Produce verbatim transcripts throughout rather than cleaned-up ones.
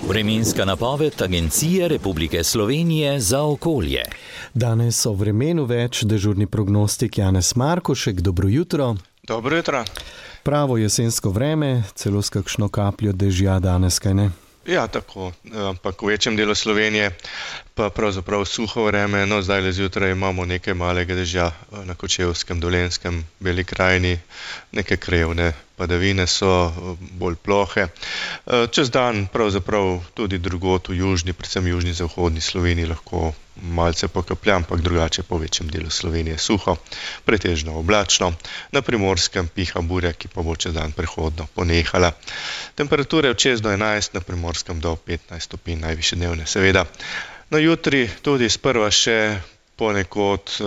Vremenska napoved Agencije Republike Slovenije za okolje. Danes o vremenu več dežurni prognostik Janez Markošek. Dobro jutro. Dobro jutro. Pravo jesensko vreme, celo s kakšno kapljo dežja danes, kaj ne? Ja, tako, ampak v večjem delu Slovenije pa pravzaprav suho vreme. No, zdaj le zjutraj imamo nekaj malega dežja na Kočevskem, Dolenjskem, Beli krajini, neke krevne padavine so bolj plohe. Čez dan pravzaprav tudi drugod v južni, predvsem južni zahodni Sloveniji lahko malce pokaplja, ampak drugače po večjem delu Slovenije suho, pretežno oblačno. Na Primorskem piha burja, ki pa bo čez dan prehodno ponehala. Temperature od šest do enajst, na Primorskem do petnajst stopinj, najvišje dnevne seveda. No, jutri tudi sprva še ponekod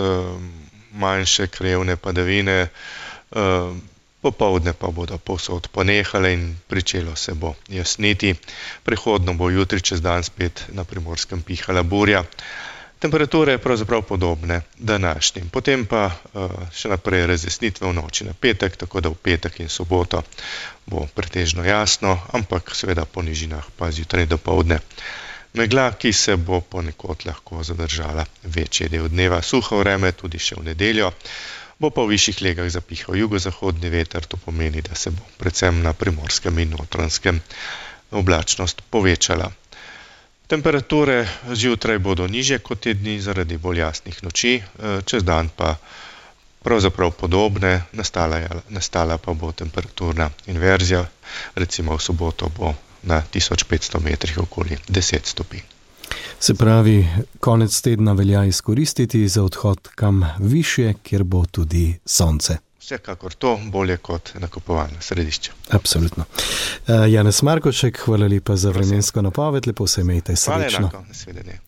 manjše krevne padavine, popoldne pa bodo povsod ponehale in pričelo se bo jasniti. Prehodno bo jutri čez dan spet na Primorskem pihala burja. Temperature pravzaprav podobne današnjim. Potem pa še naprej razjasnitve v noči na petek, tako da v petek in soboto bo pretežno jasno, ampak seveda po nižinah pa zjutraj dopoldne megla, ki se bo ponekod lahko zadržala večji del dneva. Suho vreme tudi še v nedeljo. Bo pa v višjih legah zapihal jugozahodni veter, to pomeni, da se bo predvsem na Primorskem in Notranjskem oblačnost povečala. Temperature zjutraj bodo nižje kot te dni zaradi bolj jasnih noči, čez dan pa pravzaprav podobne, nastala, nastala pa bo temperaturna inverzija, recimo v soboto bo na tisoč petsto metrih okoli deset stopinj. Se pravi, konec tedna velja izkoristiti za odhod kam višje, kjer bo tudi sonce. Vsekakor to, bolje kot nakupovalna središča. Absolutno. Uh, Janez Markošek, hvala lepa za vremensko napoved, lepo se imejte, srečno. Hvala enako, nasvidenje.